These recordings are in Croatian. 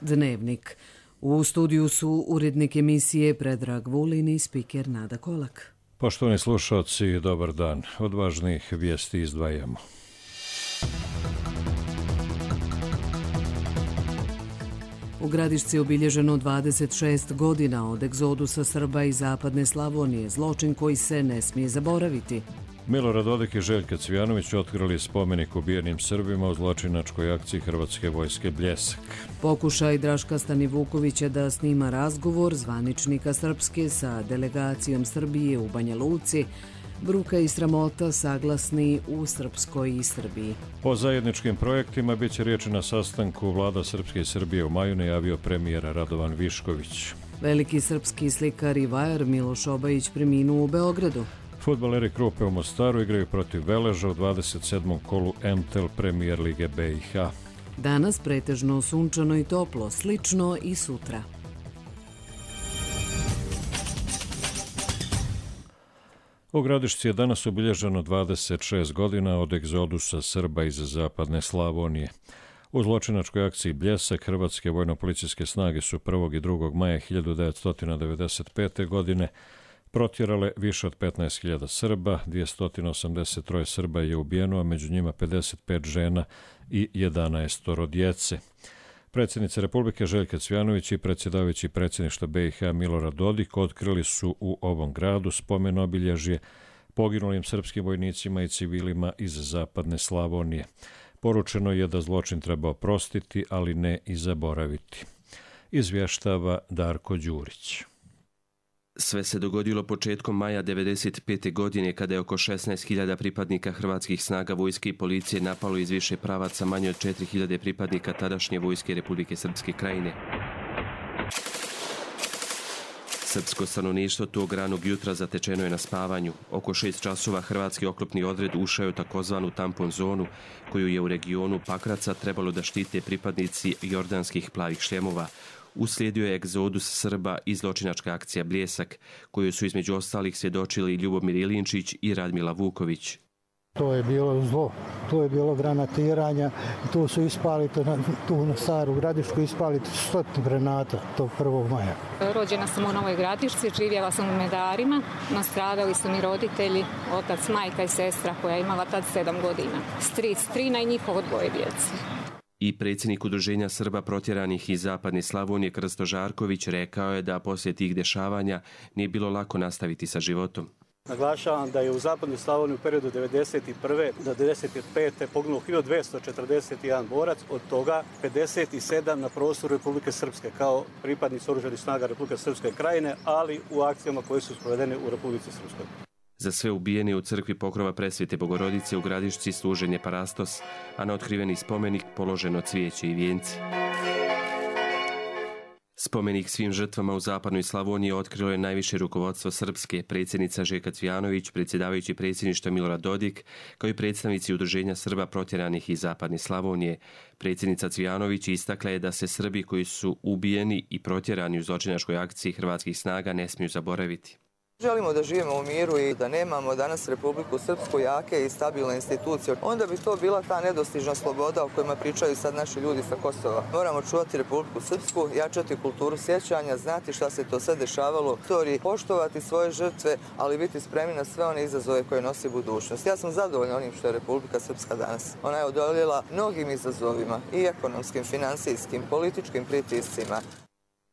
Dnevnik. U studiju su urednik emisije Predrag Vulin i spiker Nada Kolak. Poštovani slušalci, dobar dan. Od važnih vijesti izdvajamo. U Gradišci je obilježeno 26 godina od egzodusa Srba iz zapadne Slavonije, zločin koji se ne smije zaboraviti. Milorad Dodik i Željka Cvijanović otkrili spomenik ubijenim Srbima u zločinačkoj akciji Hrvatske vojske Bljesak. Pokušaj Draška Stanivukovića da snima razgovor zvaničnika Srpske sa delegacijom Srbije u Banja Luci, bruka i sramota saglasni u Srpskoj i Srbiji. O zajedničkim projektima bit će riječi na sastanku vlada Srpske i Srbije u maju, najavio premijer Radovan Višković. Veliki srpski slikar i vajar Miloš Obajić preminuo u Beogradu. Fudbaleri Krupe u Mostaru igraju protiv Veleža u 27. kolu MTEL Premier Lige BiH. Danas pretežno sunčano i toplo, slično i sutra. U Gradišci je danas obilježeno 26 godina od egzodusa Srba iz zapadne Slavonije. U zločinačkoj akciji Bljesak Hrvatske vojno-policijske snage su 1. i 2. maja 1995. godine protjerale više od 15.000 Srba, 283 Srba je ubijeno, a među njima 55 žena i 11 djece. Predsjednica Republike Željka Cvijanović i predsjedavajući predsjedništva BiH Milorad Dodik otkrili su u ovom gradu spomen obilježje poginulim srpskim vojnicima i civilima iz zapadne Slavonije. Poručeno je da zločin treba oprostiti, ali ne i zaboraviti. Izvještava Darko Đurić. Sve se dogodilo početkom maja 1995. godine kada je oko 16.000 pripadnika hrvatskih snaga vojske i policije napalo iz više pravaca manje od 4.000 pripadnika tadašnje vojske Republike Srpske krajine. Srpsko stanovništvo tog ranog jutra zatečeno je na spavanju. Oko 6 časova hrvatski oklopni odred ušao je u takozvanu tampon zonu, koju je u regionu Pakraca trebalo da štite pripadnici jordanskih plavih šljemova. Uslijedio je egzodus Srba i zločinačka akcija Bljesak, koju su između ostalih svjedočili Ljubomir Ilinčić i Radmila Vuković. To je bilo zlo, to je bilo granatiranja, tu su ispali, tu na Staru Gradišku ispali 100 granata tog 1. maja. Rođena sam u Novoj Gradišci, živjela sam u Medarima, nastradali su mi roditelji, otac, majka i sestra koja je imala tad 7 godina, stric, strina i njihovo 2 djece. I predsjednik Udruženja Srba protjeranih iz zapadne Slavonije Krsto Žarković rekao je da poslije tih dešavanja nije bilo lako nastaviti sa životom. Naglašavam da je u zapadnoj Slavoniji u periodu 1991. do 1995. poginulo 1241 borac, od toga 57 na prostoru Republike Srpske kao pripadnici oružanih snaga Republike Srpske krajine, ali u akcijama koje su sprovedene u Republici Srpskoj. Za sve ubijene u crkvi Pokrova Presvete Bogorodice u Gradišci služen je parastos, a na otkriveni spomenik položeno cvijeće i vijenci. Spomenik svim žrtvama u zapadnoj Slavoniji otkrilo je najviše rukovodstvo Srpske, predsjednica Željka Cvijanović, predsjedavajući predsjedništva Milorad Dodik, kao i predstavnici Udruženja Srba protjeranih iz zapadne Slavonije. Predsjednica Cvijanović istakla je da se Srbi koji su ubijeni i protjerani u zločinačkoj akciji hrvatskih snaga ne smiju zaboraviti. Želimo da živimo u miru i da nemamo danas Republiku Srpsku jake i stabilne institucije. Onda bi to bila ta nedostižna sloboda o kojima pričaju sad naši ljudi sa Kosova. Moramo čuvati Republiku Srpsku, jačati kulturu sjećanja, znati šta se to sve dešavalo u istoriji, poštovati svoje žrtve, ali biti spremni na sve one izazove koje nosi budućnost. Ja sam zadovoljna onim što je Republika Srpska danas. Ona je odoljela mnogim izazovima, i ekonomskim, financijskim, političkim pritiscima.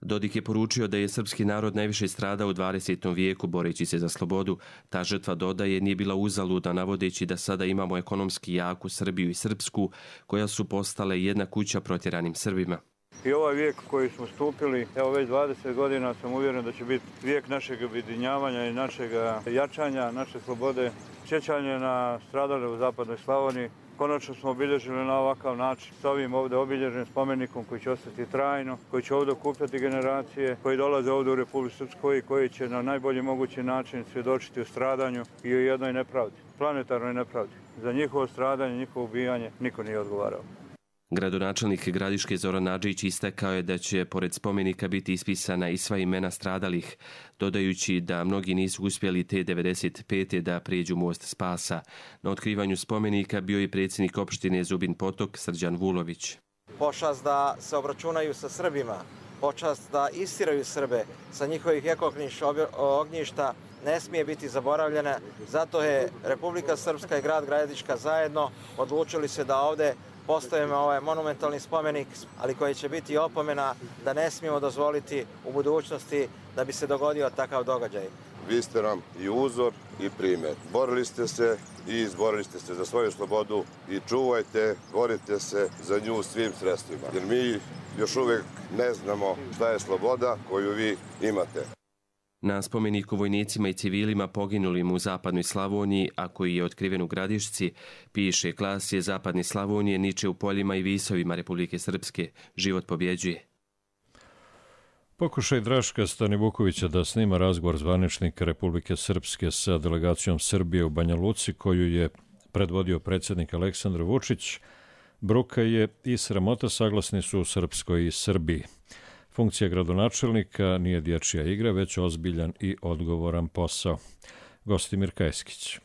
Dodik je poručio da je srpski narod najviše stradao u 20. vijeku boreći se za slobodu. Ta žrtva, dodaje, nije bila uzaludna, navodeći da sada imamo ekonomski jaku Srbiju i Srpsku, koja su postale jedna kuća protjeranim Srbima. I ovaj vijek koji smo stupili, evo već 20 godina sam uvjeren da će biti vijek našeg objedinjavanja i našeg jačanja, naše slobode, sjećanje na stradale u zapadnoj Slavoniji. Konačno smo obilježili na ovakav način s ovim ovdje obilježenim spomenikom koji će ostati trajno, koji će ovdje okupljati generacije koji dolaze ovdje u Republiku Srpsku i koji će na najbolji mogući način svjedočiti o stradanju i o jednoj nepravdi, planetarnoj nepravdi. Za njihovo stradanje, njihovo ubijanje niko nije odgovarao. Gradonačelnik Gradiške Zoran Nadžić istakao je da će pored spomenika biti ispisana i sva imena stradalih, dodajući da mnogi nisu uspjeli te 95. da prijeđu most spasa. Na otkrivanju spomenika bio je predsjednik opštine Zubin Potok Srđan Vulović. pošast da se obračunaju sa Srbima, počast da istiraju Srbe sa njihovih ognjišta ne smije biti zaboravljena. Zato je Republika Srpska i grad Gradiška zajedno odlučili se da ovde postavimo ovaj monumentalni spomenik, ali koji će biti opomena da ne smijemo dozvoliti u budućnosti da bi se dogodio takav događaj. Vi ste nam i uzor i primjer. Borili ste se i izborili ste se za svoju slobodu i čuvajte, borite se za nju svim sredstvima. Jer mi još uvijek ne znamo šta je sloboda koju vi imate. Na spomeniku vojnicima i civilima poginulim u zapadnoj Slavoniji, a koji je otkriven u Gradišci, piše Klasje zapadne Slavonije niče u poljima i visovima Republike Srpske. Život pobjeđuje. Pokušaj Draška Stanivukovića da snima razgovor zvaničnika Republike Srpske sa delegacijom Srbije u Banja Luci, koju je predvodio predsjednik Aleksandar Vučić, bruka je i sramota, saglasni su u Srpskoj i Srbiji. Funkcija gradonačelnika nije dječja igra, već ozbiljan i odgovoran posao. Gostimir Kajskić.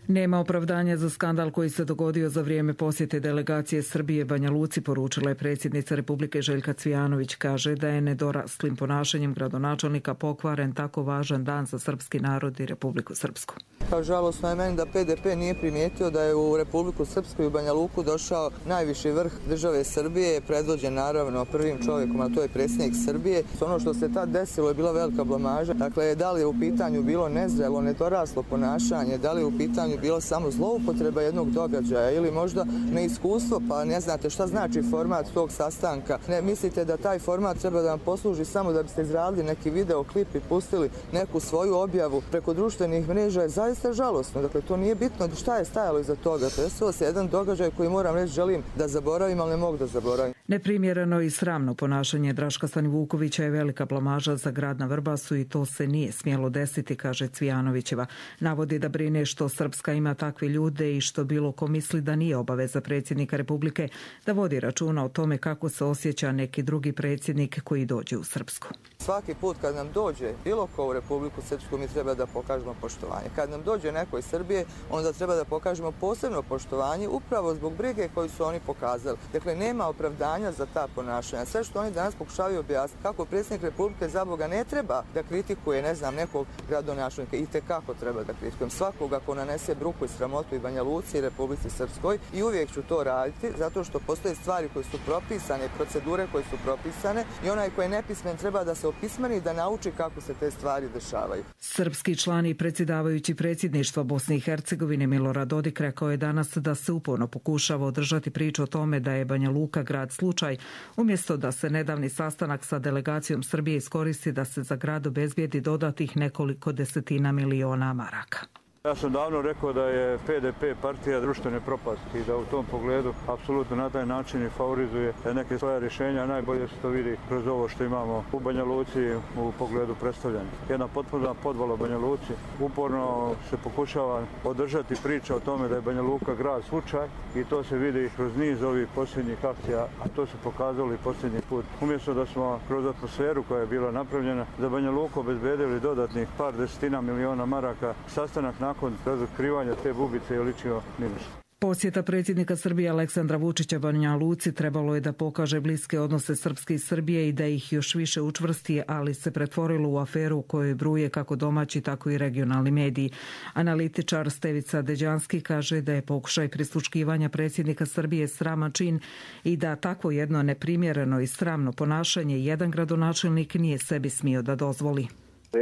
Nema opravdanja za skandal koji se dogodio za vrijeme posjete delegacije Srbije Banja Luci, poručila je predsjednica Republike Željka Cvijanović. Kaže da je nedoraslim ponašanjem gradonačelnika pokvaren tako važan dan za srpski narod i Republiku Srpsku. Žalosno je meni da PDP nije primijetio da je u Republiku Srpsku i Banja Luku došao najviši vrh države Srbije, predvođen naravno prvim čovjekom, a to je predsjednik Srbije. Ono što se tad desilo je bila velika blamaža. Dakle, da li je u pitanju bilo nezrelo, nedoraslo ponašanje, da li je u pitanju bilo samo zloupotreba jednog događaja ili možda neiskustvo, pa ne znate šta znači format tog sastanka. Ne mislite da taj format treba da vam posluži samo da biste izradili neki videoklip i pustili neku svoju objavu preko društvenih mreža, je zaista žalosno. Dakle, to nije bitno šta je stajalo iza toga. Desilo se jedan događaj koji moram reći želim da zaboravim, ali ne mogu da zaboravim. Neprimjereno i sramno ponašanje Draška Stanivukovića je velika blamaža za grad na Vrbasu i to se nije smjelo desiti, kaže Cvijanovićeva. Navodi da brine što Srpska ima takve ljude i što bilo ko misli da nije obaveza predsjednika Republike da vodi računa o tome kako se osjeća neki drugi predsjednik koji dođe u Srpsku. Svaki put kad nam dođe bilo ko u Republiku Srpsku mi treba da pokažemo poštovanje. Kad nam dođe neko iz Srbije, onda treba da pokažemo posebno poštovanje upravo zbog brige koju su oni pokazali. Dakle, nema opravdanja za ta ponašanja. Sve što oni danas pokušavaju objasniti, kako predsjednik Republike za Boga ne treba da kritikuje, ne znam, nekog gradonačelnika, i tekako treba da kritikujem svakoga ko nanese bruku i sramotu i Banja Luci i Republici Srpskoj, i uvijek ću to raditi zato što postoje stvari koje su propisane, procedure koje su propisane, i onaj koji je nepismen treba da se opismeni i da nauči kako se te stvari dešavaju. Srpski član i predsjedavajući predsjedništva Bosne i Hercegovine Milorad Dodik rekao je danas da se uporno pokušava održati priču o tome da je Banja Luka grad slučaj, umjesto da se nedavni sastanak sa delegacijom Srbije iskoristi da se za grad obezbijedi dodatnih nekoliko desetina miliona maraka. Ja sam davno rekao da je PDP partija društvene propasti i da u tom pogledu apsolutno na taj način i favorizuje neke svoje rješenja. Najbolje se to vidi kroz ovo što imamo u Banja Luci u pogledu predstavljanja. Jedna potpuno podvala u Banja Luci. Uporno se pokušava održati priča o tome da je Banja Luka grad slučaj i to se vidi kroz niz ovih posljednjih akcija, a to su pokazali posljednji put. Umjesto da smo kroz atmosferu koja je bila napravljena za Banja Luku obezbedili dodatnih par desetina miliona maraka, sastanak nakon razotkrivanja te bubice je ličio minus. Posjeta predsjednika Srbije Aleksandra Vučića Banja Luci trebalo je da pokaže bliske odnose Srpske i Srbije i da ih još više učvrsti, ali se pretvorilo u aferu u kojoj bruje kako domaći, tako i regionalni mediji. Analitičar Stevica Deđanski kaže da je pokušaj prisluškivanja predsjednika Srbije sraman čin i da takvo jedno neprimjereno i sramno ponašanje jedan gradonačelnik nije sebi smio da dozvoli.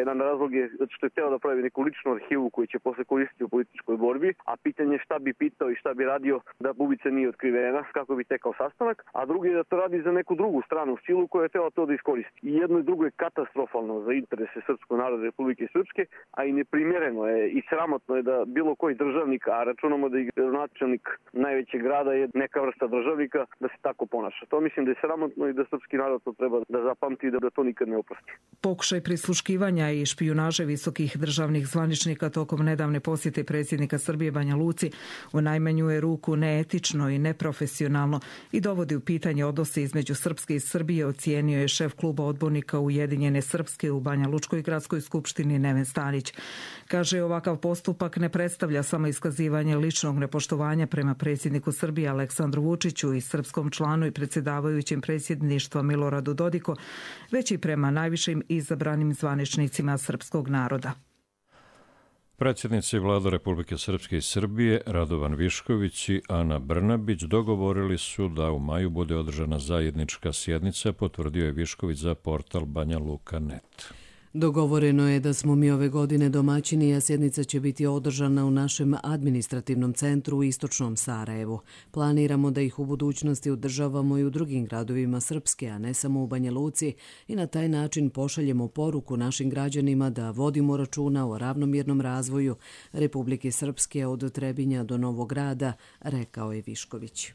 Jedan razlog je zato što je htio da pravi neku ličnu arhivu koju će posle koristiti u političkoj borbi, a pitanje šta bi pitao i šta bi radio da bubica nije otkrivena, kako bi tekao sastanak, a drugi je da to radi za neku drugu stranu silu koja je htjela to da iskoristi. I jedno i drugo je katastrofalno za interese srpskog naroda Republike Srpske, a i neprimjereno je i sramotno je da bilo koji državnik, a računamo da je gradonačelnik najvećeg grada je neka vrsta državnika, da se tako ponaša. To mislim da je sramotno i da srpski narod to treba da zapamti i da to nikad ne oprosti. Pokušaj prisluškivanja uhićenja i špijunaže visokih državnih zvaničnika tokom nedavne posjete predsjednika Srbije Banja Luci u najmanju je ruku neetično i neprofesionalno i dovodi u pitanje odnose između Srpske i Srbije, ocijenio je šef kluba odbornika Ujedinjene Srpske u Banja Lučkoj gradskoj skupštini Neven Stanić. Kaže, ovakav postupak ne predstavlja samo iskazivanje ličnog nepoštovanja prema predsjedniku Srbije Aleksandru Vučiću i srpskom članu i predsjedavajućem predsjedništva Miloradu Dodiko, već i prema najvišim izabranim zvaničnicima srpskog naroda. Predsjednici Vlada Republike Srpske i Srbije Radovan Višković i Ana Brnabić dogovorili su da u maju bude održana zajednička sjednica, potvrdio je Višković za portal banjaluka.net. Dogovoreno je da smo mi ove godine domaćini, a sjednica će biti održana u našem administrativnom centru u istočnom Sarajevu. Planiramo da ih u budućnosti održavamo i u drugim gradovima Srpske, a ne samo u Banja Luci, i na taj način pošaljemo poruku našim građanima da vodimo računa o ravnomjernom razvoju Republike Srpske od Trebinja do Novog Grada, rekao je Višković.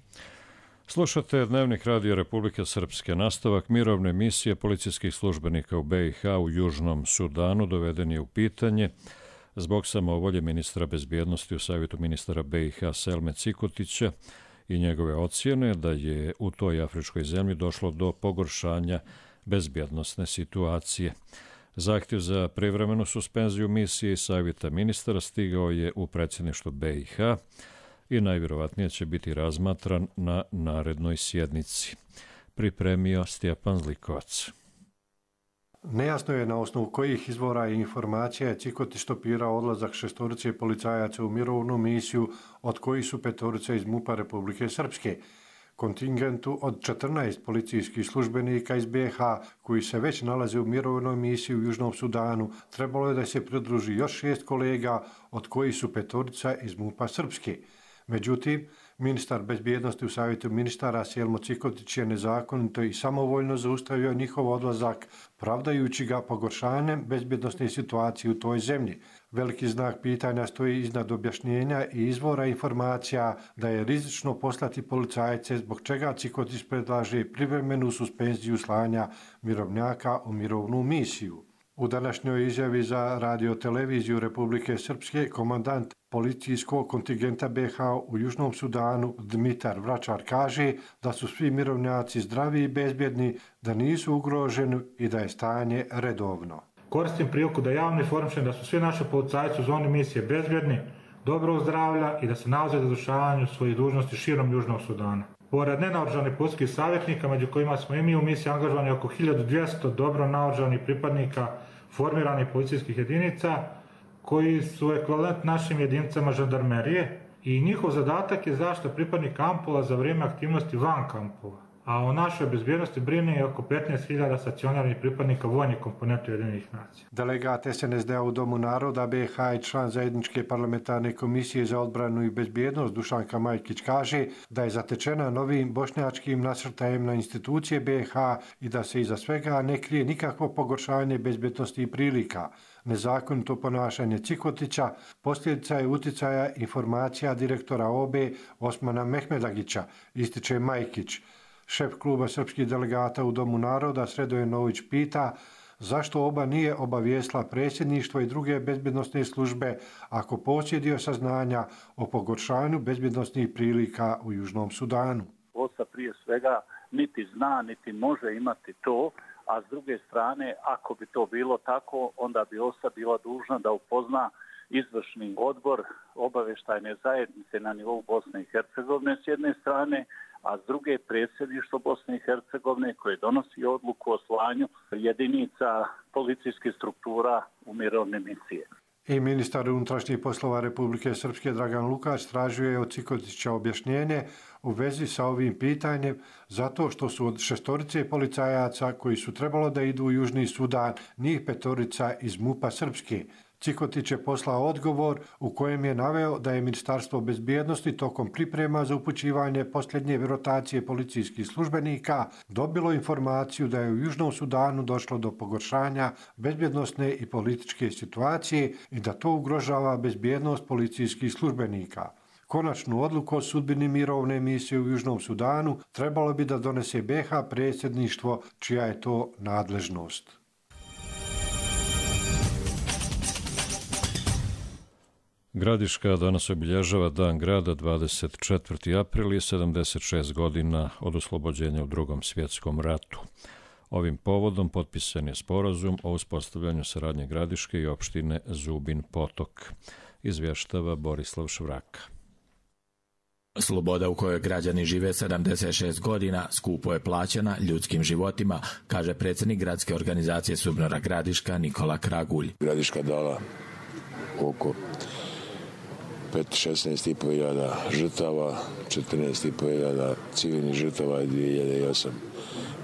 Slušate Dnevnik Radio Republike Srpske. Nastavak mirovne misije policijskih službenika u BiH u Južnom Sudanu doveden je u pitanje zbog samovolje ministra bezbjednosti u Savjetu ministara BiH Selme Cikotića i njegove ocjene da je u toj afričkoj zemlji došlo do pogoršanja bezbjednosne situacije. Zahtjev za privremenu suspenziju misije i Savjeta ministara stigao je u predsjedništvo BiH i najvjerovatnije će biti razmatran na narednoj sjednici. Pripremio Stjepan Zlikovac. Nejasno je na osnovu kojih izvora i informacija je Cikotić stopirao odlazak 6 policajaca u mirovnu misiju, od kojih su 5 iz MUP-a Republike Srpske. Kontingentu od 14 policijskih službenika iz BiH, koji se već nalaze u mirovnoj misiji u Južnom Sudanu, trebalo je da se pridruži još 6 kolega, od kojih su 5 iz MUP-a Srpske. Međutim, ministar bezbjednosti u Savjetu ministara Selmo Cikotić je nezakonito i samovoljno zaustavio njihov odlazak, pravdajući ga pogoršanjem bezbjednosne situacije u toj zemlji. Veliki znak pitanja stoji iznad objašnjenja i izvora informacija da je rizično poslati policajce, zbog čega Cikotić predlaže privremenu suspenziju slanja mirovnjaka u mirovnu misiju. U današnjoj izjavi za radioteleviziju Republike Srpske komandant policijskog kontingenta BiH u Južnom Sudanu Dmitar Vračar kaže da su svi mirovnjaci zdravi i bezbjedni, da nisu ugroženi i da je stanje redovno. Koristim priliku da javno informišem da su svi naši policajci u zoni misije bezbjedni, dobrog zdravlja i da se nalaze na izvršavanju svojih dužnosti širom Južnog Sudana. Pored nenaoružanih policijskih savjetnika, među kojima smo i mi u misiji angažovani oko 1200 dobro naoružanih pripadnika formiranih policijskih jedinica, koji su ekvivalent našim jedinicama žandarmerije, i njihov zadatak je zaštita pripadnika kampova za vrijeme aktivnosti van kampova. A o našoj bezbjednosti brine je oko 15.000 stacionarnih pripadnika vojne komponente Ujedinjenih nacija. Delegat SNSD-a u Domu naroda BiH i član zajedničke parlamentarne komisije za odbranu i bezbjednost Dušanka Majkić kaže da je zatečena novim bošnjačkim nasrtajem na institucije BiH i da se iza svega ne krije nikakvo pogoršanje bezbjednosti i prilika. Nezakonito ponašanje Cikotića posljedica je uticaja informacija direktora OBE Osmana Mehmedagića, ističe Majkić. Šef kluba srpskih delegata u Domu naroda Sredoje Nović pita zašto OBA nije obavijestila predsjedništvo i druge bezbjednosne službe ako posjedio saznanja o pogoršanju bezbjednosnih prilika u Južnom Sudanu. OSA prije svega niti zna, niti može imati to, a s druge strane, ako bi to bilo tako, onda bi OSA bila dužna da upozna izvršni odbor obavještajne zajednice na nivou Bosne i Hercegovine s jedne strane, a s druge predsjedništvo Bosne i Hercegovine koje donosi odluku o slanju jedinica policijskih struktura u mirovne misije. I ministar unutrašnjih poslova Republike Srpske Dragan Lukač tražio je od Cikotića objašnjenje u vezi sa ovim pitanjem zato što su od 6 policajaca koji su trebalo da idu u Južni Sudan, njih 5 iz MUP-a Srpske. Cikotić je poslao odgovor u kojem je naveo da je Ministarstvo bezbjednosti tokom priprema za upućivanje posljednje rotacije policijskih službenika dobilo informaciju da je u Južnom Sudanu došlo do pogoršanja bezbjednosne i političke situacije i da to ugrožava bezbjednost policijskih službenika. Konačnu odluku o sudbini mirovne misije u Južnom Sudanu trebalo bi da donese BiH predsjedništvo, čija je to nadležnost. Gradiška danas obilježava Dan grada 24. april i 76 godina od oslobođenja u Drugom svjetskom ratu. Ovim povodom potpisan je sporazum o uspostavljanju saradnje Gradiške i opštine Zubin Potok, izvještava Borislav Švraka. Sloboda u kojoj građani žive 76 godina skupo je plaćena ljudskim životima, kaže predsjednik gradske organizacije SUBNOR-a Gradiška Nikola Kragulj. Gradiška dala oko 16.500 žrtava, 14.500 civilnih žrtava i 2008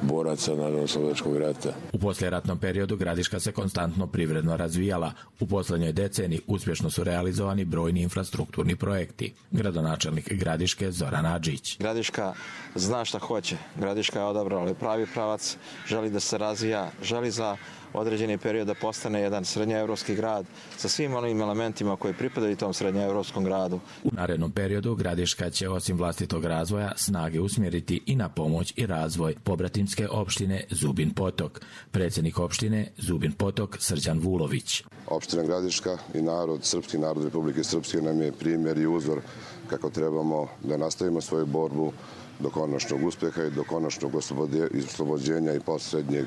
boraca Narodno-oslobodilačkog rata. U poslijeratnom periodu Gradiška se konstantno privredno razvijala. U posljednjoj deceniji uspješno su realizovani brojni infrastrukturni projekti. Gradonačelnik Gradiške Zoran Adžić. Gradiška zna šta hoće. Gradiška je odabrala pravi pravac, želi da se razvija, želi za određeni period da postane jedan srednjoevropski grad sa svim onim elementima koji pripadaju tom srednjoevropskom gradu. U narednom periodu Gradiška će osim vlastitog razvoja snage usmjeriti i na pomoć i razvoj pobratimske opštine Zubin Potok. Predsjednik opštine Zubin Potok Srđan Vulović. Opština Gradiška i srpski narod Republike Srpske nam je primjer i uzor kako trebamo da nastavimo svoju borbu do konačnog uspjeha i do konačnog oslobođenja i posljednjeg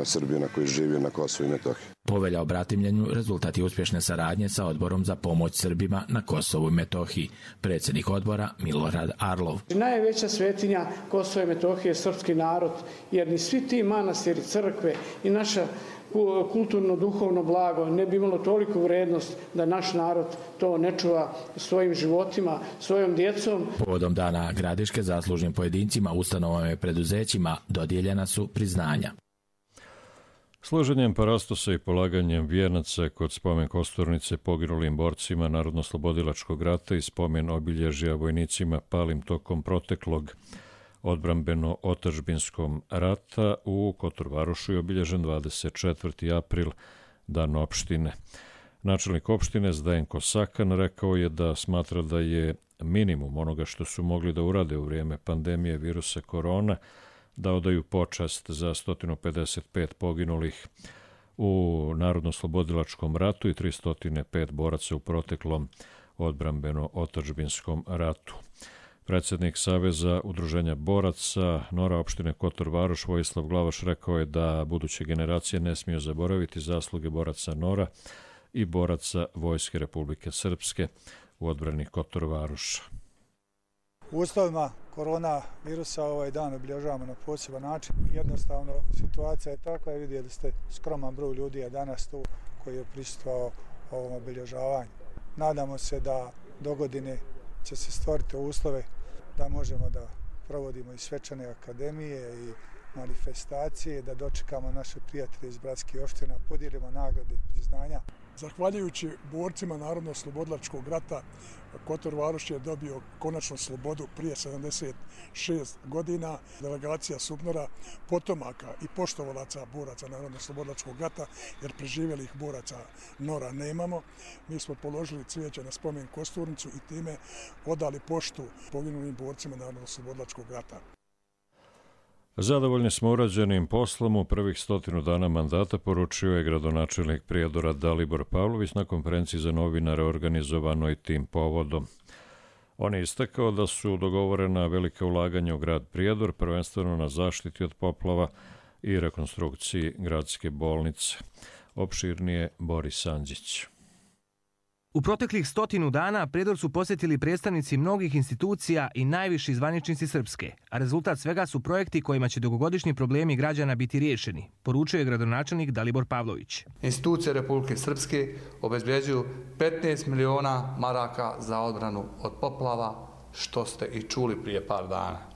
Srbina koji živi na Kosovu i Metohiji. Povelja o bratimljenju rezultat je uspješne saradnje sa Odborom za pomoć Srbima na Kosovu i Metohiji. Predsjednik odbora Milorad Arlov. Najveća svetinja Kosova i Metohije je srpski narod, jer ni svi ti manastiri, crkve i naša kulturno-duhovno blago ne bi imalo toliku vrednost da naš narod to ne čuva svojim životima, svojom djecom. Povodom Dana Gradiške zaslužnim pojedincima, ustanovama i preduzećima dodijeljena su priznanja. Složenjem parastosa i polaganjem vijenaca kod spomen kosturnice poginulim borcima Narodno-oslobodilačkog rata i spomen obilježja vojnicima palim tokom proteklog odbrambeno-otadžbinskom rata u Kotor-Varošu je obilježen 24. april, Dan opštine. Načelnik opštine Zdenko Sakan rekao je da smatra da je minimum onoga što su mogli da urade u vrijeme pandemije virusa korona da odaju počast za 155 poginulih u Narodno-oslobodilačkom ratu i 305 boraca u proteklom odbrambeno-otadžbinskom ratu. Predsjednik Saveza udruženja boraca Nora opštine Kotor-Varoš Vojislav Glavaš rekao je da buduće generacije ne smiju zaboraviti zasluge boraca Nora i boraca Vojske Republike Srpske u odbrani Kotor-Varoša. U uslovima korona virusa ovaj dan obilježavamo na poseban način. Jednostavno situacija je takva, vidjeli ste skroman broj ljudi je danas tu koji je prisustvovao ovom obilježavanju. Nadamo se da do godine će se stvoriti uslove da možemo da provodimo i svečane akademije i manifestacije, da dočekamo naše prijatelje iz bratskih opština, podijelimo nagrade i priznanja. Zahvaljujući borcima Narodno-oslobodilačkog rata, Kotor-Varoš je dobio konačnu slobodu prije 76 godina. Delegacija SUBNOR-a, potomaka i poštovalaca boraca Narodno-oslobodilačkog rata, jer preživjelih boraca Nora nemamo. Mi smo položili cvijeće na spomen kosturnicu i time odali poštu poginulim borcima Narodno-oslobodilačkog rata. Zadovoljni smo urađenim poslom u prvih 100 dana mandata, poručio je gradonačelnik Prijedora Dalibor Pavlović na konferenciji za novinare organizovanoj tim povodom. On je istakao da su dogovorena velika ulaganja u grad Prijedor, prvenstveno na zaštiti od poplava i rekonstrukciji gradske bolnice. Opširnije Boris Andžić. U proteklih 100 dana Prijedor su posjetili predstavnici mnogih institucija i najviši zvaničnici Srpske, a rezultat svega su projekti kojima će dugogodišnji problemi građana biti riješeni, poručio je gradonačelnik Dalibor Pavlović. Institucije Republike Srpske obezbeđuju 15 miliona maraka za odbranu od poplava, što ste i čuli prije par dana.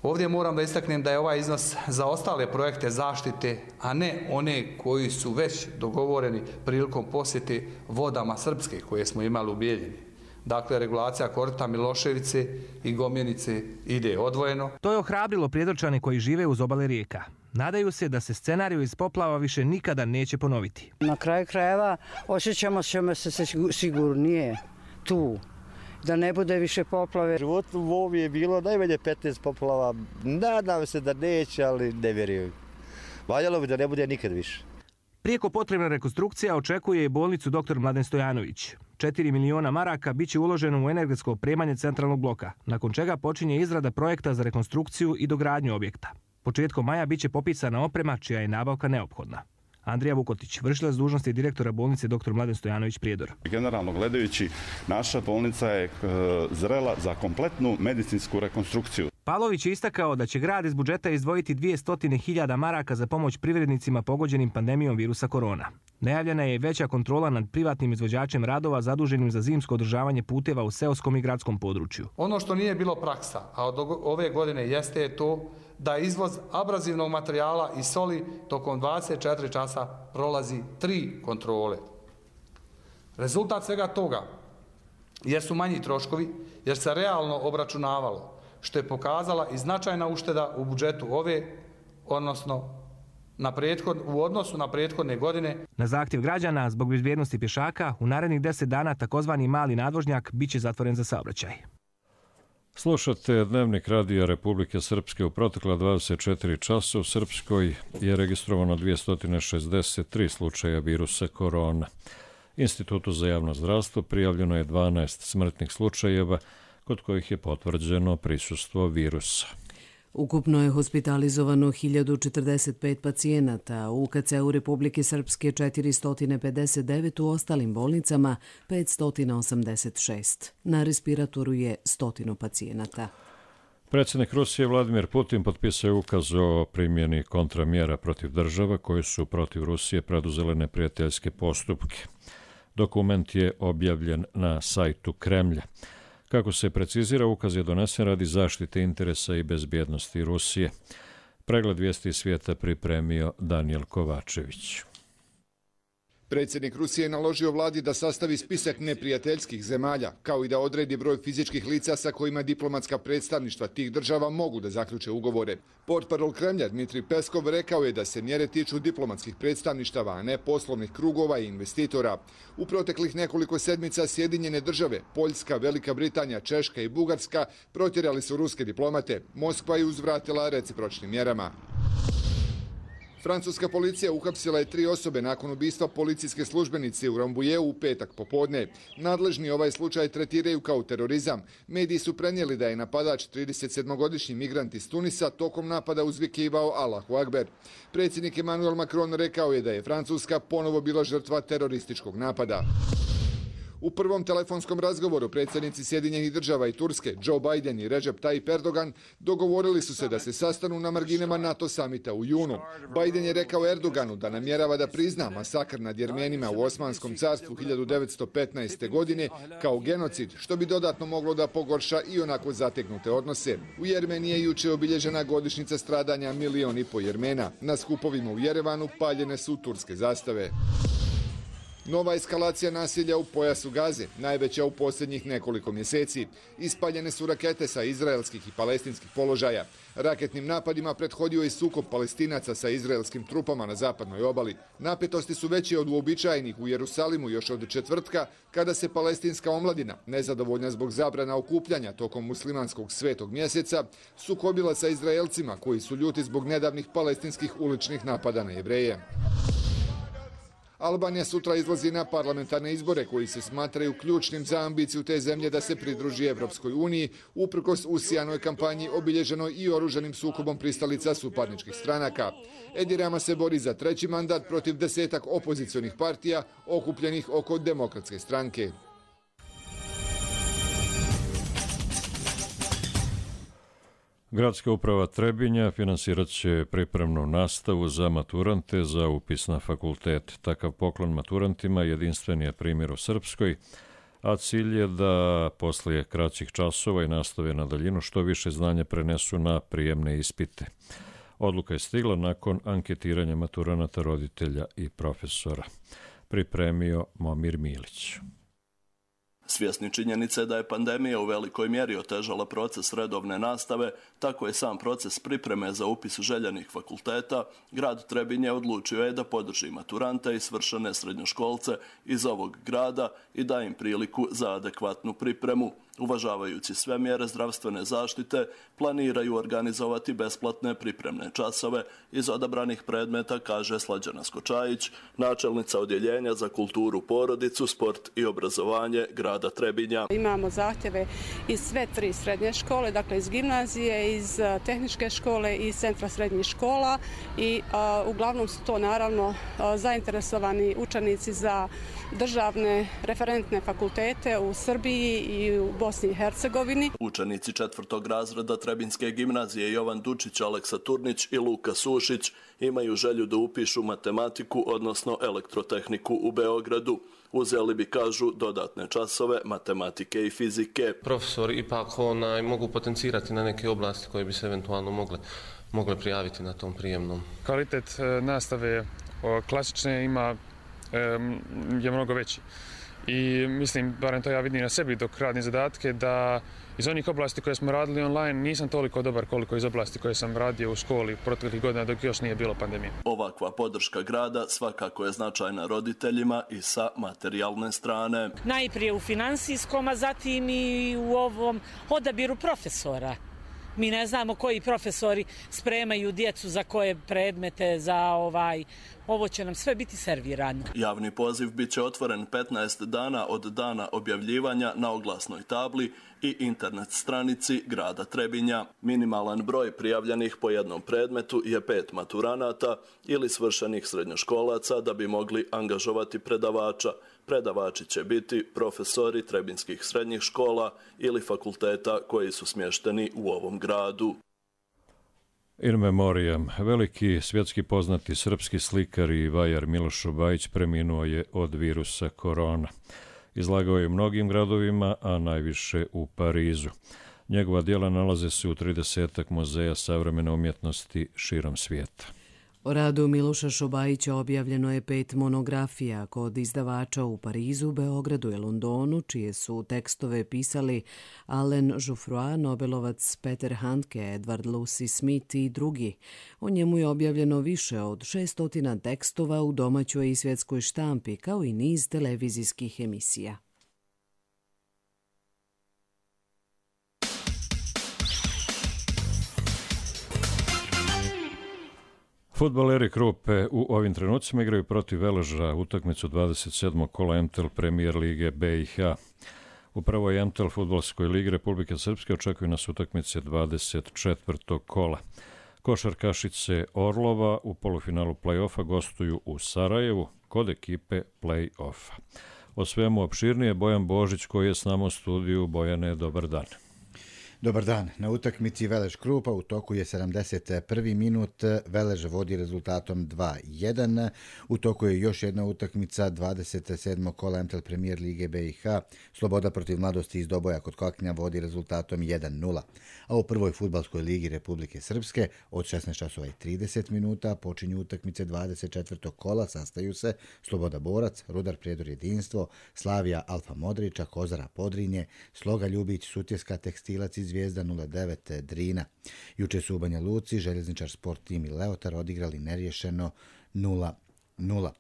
Ovdje moram da istaknem da je ovaj iznos za ostale projekte zaštite, a ne one koji su već dogovoreni prilikom posjeti vodama Srpske koje smo imali u Bijeljini. Dakle, regulacija korita Miloševice i Gomjenice ide odvojeno. To je ohrabrilo Prijedorčane koji žive uz obale rijeka. Nadaju se da se scenariju iz poplava više nikada neće ponoviti. Na kraju krajeva osjećamo se sigurnije tu. Da ne bude više poplave. Život u Vovi je bilo najmanje 15 poplava. Nadam se da neće, ali ne vjerujem. Valjalo bi da ne bude nikad više. Prijeko potrebna rekonstrukcija očekuje i bolnicu dr. Mladen Stojanović. 4 miliona maraka bit će uloženo u energetsko opremanje centralnog bloka, nakon čega počinje izrada projekta za rekonstrukciju i dogradnju objekta. Početkom maja bit će popisana oprema čija je nabavka neophodna. Andrija Vukotić, vršilac dužnosti direktora bolnice dr. Mladen Stojanović Prijedor. Generalno gledajući, naša bolnica je zrela za kompletnu medicinsku rekonstrukciju. Pavlović je istakao da će grad iz budžeta izdvojiti 200.000 maraka za pomoć privrednicima pogođenim pandemijom virusa korona. Najavljena je veća kontrola nad privatnim izvođačem radova zaduženim za zimsko održavanje puteva u seoskom i gradskom području. Ono što nije bilo praksa, a od ove godine jeste to da izvoz abrazivnog materijala i soli tokom 24 časa prolazi 3 kontrole. Rezultat svega toga jesu manji troškovi jer se realno obračunavalo, što je pokazala i značajna ušteda u budžetu u odnosu na prethodne godine. Na zahtjev građana, zbog bezbjednosti pješaka, u narednih 10 dana takozvani mali nadvožnjak bit će zatvoren za saobraćaj. Slušate Dnevnik Radija Republike Srpske. U protekla 24 časa u Srpskoj je registrovano 263 slučaja virusa korona. Institutu za javno zdravstvo prijavljeno je 12 smrtnih slučajeva kod kojih je potvrđeno prisustvo virusa. Ukupno je hospitalizovano 1045 pacijenata, u UKC-u Republike Srpske 459, u ostalim bolnicama 586. Na respiratoru je 100 pacijenata. Predsjednik Rusije Vladimir Putin potpisao je ukaz o primjeni kontramjera protiv država koje su protiv Rusije preduzele neprijateljske postupke. Dokument je objavljen na sajtu Kremlja. Kako se precizira, ukaz je donesen radi zaštite interesa i bezbjednosti Rusije. Pregled vijesti svijeta pripremio Danijel Kovačević. Predsjednik Rusije je naložio vladi da sastavi spisak neprijateljskih zemalja, kao i da odredi broj fizičkih lica sa kojima diplomatska predstavništva tih država mogu da zaključe ugovore. Portparol Kremlja Dmitrij Peskov rekao je da se mjere tiču diplomatskih predstavništava, a ne poslovnih krugova i investitora. U proteklih nekoliko sedmica Sjedinjene države, Poljska, Velika Britanija, Češka i Bugarska protjerali su ruske diplomate. Moskva je uzvratila recipročnim mjerama. Francuska policija uhapsila je 3 osobe nakon ubistva policijske službenice u Rambujeu u petak popodne. Nadležni ovaj slučaj tretiraju kao terorizam. Mediji su prenijeli da je napadač 37-godišnji migrant iz Tunisa tokom napada uzvikivao Allahu Akbar. Predsjednik Emmanuel Macron rekao je da je Francuska ponovo bila žrtva terorističkog napada. U prvom telefonskom razgovoru predsjednici Sjedinjenih država i Turske, Joe Biden i Recep Tayyip Erdogan, dogovorili su se da se sastanu na marginama NATO samita u junu. Biden je rekao Erdoganu da namjerava da prizna masakr nad Jermenima u Osmanskom carstvu 1915. godine kao genocid, što bi dodatno moglo da pogorša i onako zategnute odnose. U Jermeniji je juče obilježena godišnjica stradanja 1,5 miliona Jermena. Na skupovima u Jerevanu paljene su turske zastave. Nova eskalacija nasilja u pojasu Gaze, najveća u posljednjih nekoliko mjeseci. Ispaljene su rakete sa izraelskih i palestinskih položaja. Raketnim napadima prethodio je sukob Palestinaca sa izraelskim trupama na zapadnoj obali. Napetosti su veće od uobičajenih u Jerusalimu još od četvrtka, kada se palestinska omladina, nezadovoljna zbog zabrana okupljanja tokom muslimanskog svetog mjeseca, sukobila sa Izraelcima koji su ljuti zbog nedavnih palestinskih uličnih napada na Jevreje. Albanija sutra izlazi na parlamentarne izbore koji se smatraju ključnim za ambiciju te zemlje da se pridruži Evropskoj uniji, uprkos usijanoj kampanji obilježenoj i oružanim sukobom pristalica suparničkih stranaka. Edi Rama se bori za 3. mandat protiv 10 opozicionih partija okupljenih oko Demokratske stranke. Gradska uprava Trebinja finansirat će pripremnu nastavu za maturante za upis na fakultet. Takav poklon maturantima jedinstven je primjer u Srpskoj, a cilj je da poslije kraćih časova i nastave na daljinu što više znanja prenesu na prijemne ispite. Odluka je stigla nakon anketiranja maturanata, roditelja i profesora. Pripremio Momir Milić. Svjesni činjenice da je pandemija u velikoj mjeri otežala proces redovne nastave, tako je sam proces pripreme za upis željenih fakulteta, grad Trebinje odlučio je da podrži maturante i svršene srednjoškolce iz ovog grada i da im priliku za adekvatnu pripremu. Uvažavajući sve mjere zdravstvene zaštite, planiraju organizovati besplatne pripremne časove iz odabranih predmeta, kaže Slađana Skočajić, načelnica Odjeljenja za kulturu, porodicu, sport i obrazovanje grada Trebinja. Imamo zahtjeve iz sve 3 srednje škole, dakle iz gimnazije, iz tehničke škole i iz centra srednjih škola i uglavnom su to naravno zainteresovani učenici za državne referentne fakultete u Srbiji i u Bosni i Hercegovini. Učenici 4. razreda Trebinjske gimnazije Jovan Dučić, Aleksa Turnić i Luka Sušić imaju želju da upišu matematiku, odnosno elektrotehniku u Beogradu. Uzeli bi, kažu, dodatne časove matematike i fizike. Profesori ipak mogu potencirati na neke oblasti koje bi se eventualno mogle prijaviti na tom prijemnom. Kvalitet nastave klasične je mnogo veći. I mislim, barem to ja vidim na sebi dok radim zadatke, da iz onih oblasti koje smo radili online nisam toliko dobar koliko iz oblasti koje sam radio u školi proteklih godina dok još nije bilo pandemije. Ovakva podrška grada svakako je značajna roditeljima i sa materijalne strane. Najprije u finansijskom, a zatim i u ovom odabiru profesora. Mi ne znamo koji profesori spremaju djecu za koje predmete, ovo će nam sve biti servirano. Javni poziv bit će otvoren 15 dana od dana objavljivanja na oglasnoj tabli i internet stranici grada Trebinja. Minimalan broj prijavljenih po jednom predmetu je 5 maturanata ili svršenih srednjoškolaca da bi mogli angažovati predavača. Predavači će biti profesori trebinskih srednjih škola ili fakulteta koji su smješteni u ovom gradu. In memoriam, veliki svjetski poznati srpski slikar i vajar Miloš Šobajić preminuo je od virusa korona. Izlagao je u mnogim gradovima, a najviše u Parizu. Njegova djela nalaze se u 30 muzeja savremene umjetnosti širom svijeta. O radu Miloša Šobajića objavljeno je 5 monografija kod izdavača u Parizu, Beogradu i Londonu, čije su tekstove pisali Alain Jouffroy, Nobelovac Peter Handke, Edward Lucy Smith i drugi. O njemu je objavljeno više od 600 tekstova u domaćoj i svjetskoj štampi, kao i niz televizijskih emisija. Fudbaleri Krupe u ovim trenucima igraju protiv Veleža utakmicu 27. kola MTL Premier Lige BiH. U prvoj MTL fudbalskoj ligi Republike Srpske očekuju nas utakmice 24. kola. Košarkašice Orlova u polufinalu play-offa gostuju u Sarajevu kod ekipe play-offa. O svemu opširnije Bojan Božić koji je s nama u studiju. Bojane, dobar dan. Dobar dan. Na utakmici Velež Krupa u toku je 71. minut. Velež vodi rezultatom 2-1. U toku je još jedna utakmica 27. kola MTL Premier Lige BiH. Sloboda protiv Mladosti iz Doboja kod Koknja vodi rezultatom 1-0. A u prvoj fudbalskoj ligi Republike Srpske od 16:30 minuta počinju utakmice 24. kola. Sastaju se Sloboda Borac, Rudar Prijedor Jedinstvo, Slavija Alfa Modrića, Kozara Podrinje, Sloga Ljubić, Sutjeska Tekstilac i Zvijezda 09 Drina. Juče su u Banja Luci Željezničar Sport Tim i Leotar odigrali neriješeno 0-0.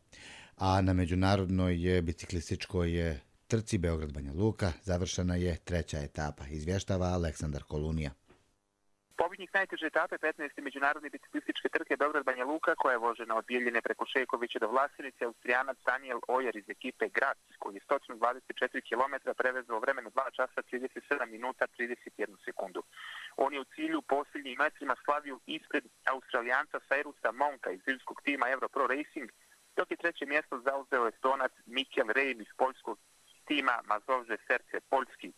A na međunarodnoj biciklističkoj trci Beograd-Banja Luka završena je 3. etapa. Izvještava Aleksandar Kolunija. Pobjednik najteže etape 15. međunarodne biciklističke trke Beograd-Banja Luka, koja je vožena od Bijeljine preko Šekovića do Vlasenice, Austrijanac Daniel Ojer iz ekipe Graz, koji je 124 km prevezao vremenu 2 časa 37 minuta 31 sekundu. On je u cilju posljednjim metrima slavio ispred Australijanca Cyrus'a Monka iz zimskog tima Europro Racing, dok je 3. mjesto zauzeo Estonac Mikel Reim iz poljskog tima Mazovže Serce Poljski.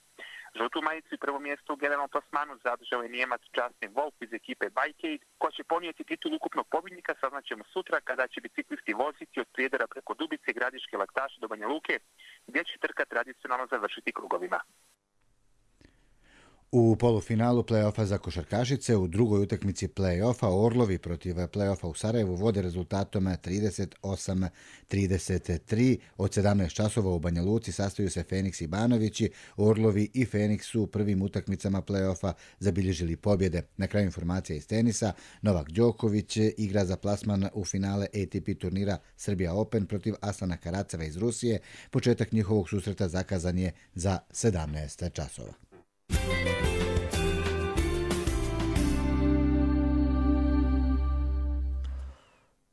Žutu majicu i prvo mjesto u generalnom plasmanu zadržao je Nijemac Justin Wolf iz ekipe Bikeaid, koja će ponijeti titul ukupnog pobjednika, saznaćemo sutra kada će biciklisti voziti od Prijedora preko Dubice, Gradiške, Laktaša do Banja Luke, gdje će trka tradicionalno završiti krugovima. U polufinalu play-offa za košarkašice u drugoj utakmici play-offa Orlovi protiv play-offa u Sarajevu vode rezultatom 38-33. Od 17 časova u Banja Luci sastaju se Feniks i Banovići. Orlovi i Feniks su u prvim utakmicama play-offa zabilježili pobjede. Na kraju informacija iz tenisa, Novak Đoković igra za plasman u finale ATP turnira Serbia Open protiv Aslana Karaceva iz Rusije. Početak njihovog susreta zakazan je za 17 časova.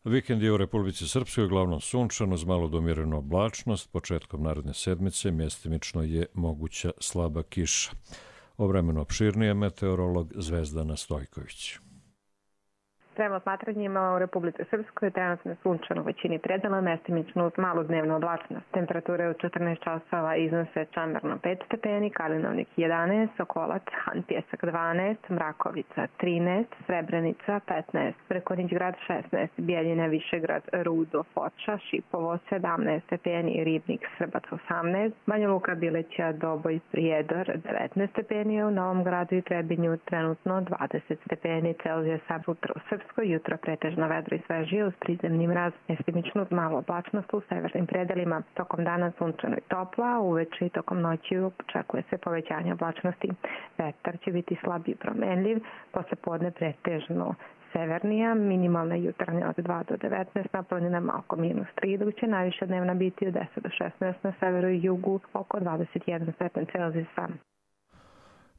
Vikend je u Republici Srpskoj uglavnom sunčan uz malo do umjerenu oblačnost. Početkom naredne sedmice mjestimično je moguća slaba kiša. O vremenu opširnije meteorolog Zvezdana Stojković. Prema smatranjima u Republici Srpskoj trenutno je sunčano u većini predela, mestimično uz malu dnevnu oblačnost. Temperature u 14 časova iznose Čamerno 5 stepeni, Kalinovnik 11, Sokolac, Han Pjesak 12, Mrakovica 13, Srebrenica 15, Vrkonić grad 16, Bijeljina, Višegrad, Rudo, Foča, Šipovo 17 stepeni, Ribnik, Srbac 18, Banja Luka, Bileća, Doboj, Prijedor 19 stepeni, u Novom Gradu i Trebinju trenutno 20 stepeni Celzijusa. Sutra u Srpskoj jutro pretežno vedro i svežije uz prizemni mraz, mjestimično uz malo oblačnost u severnim predelima. Tokom dana sunčano i topla, uveče i tokom noći očekuje se povećanje oblačnosti. Vetar će biti slab i promenljiv, posle podne pretežno severnija, minimalna jutarnja od 2 do 19, na planinama oko -3, dok će najviša dnevna biti od 10 do 16, na severu i jugu oko 21 stepen Celzijusa.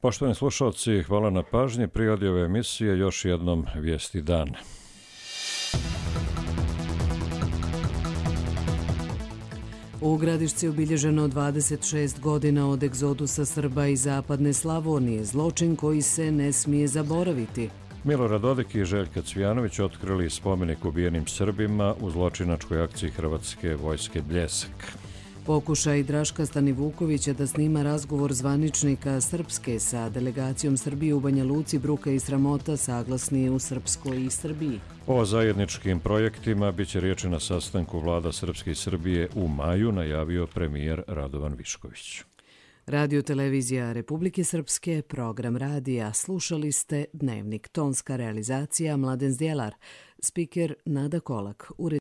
Poštovani slušalci, hvala na pažnji. Prirodi ove emisije još jednom vijesti dana. U Gradišci je obilježeno 26 godina od egzodusa Srba iz zapadne Slavonije, zločin koji se ne smije zaboraviti. Milorad Dodik i Željka Cvijanović otkrili spomenik ubijenim Srbima u zločinačkoj akciji Hrvatske vojske Bljesak. Pokušaj Draška Stanivukovića da snima razgovor zvaničnika Srpske sa delegacijom Srbije u Banja Luci, bruka i sramota, saglasni u Srpskoj i Srbiji. O zajedničkim projektima biće riječi na sastanku vlada Srpske i Srbije u maju, najavio premijer Radovan Višković. Radio televizija Republike Srpske, program radija. Slušali ste Dnevnik, tonska realizacija Mladen Zdjelar, spiker Nada Kolak.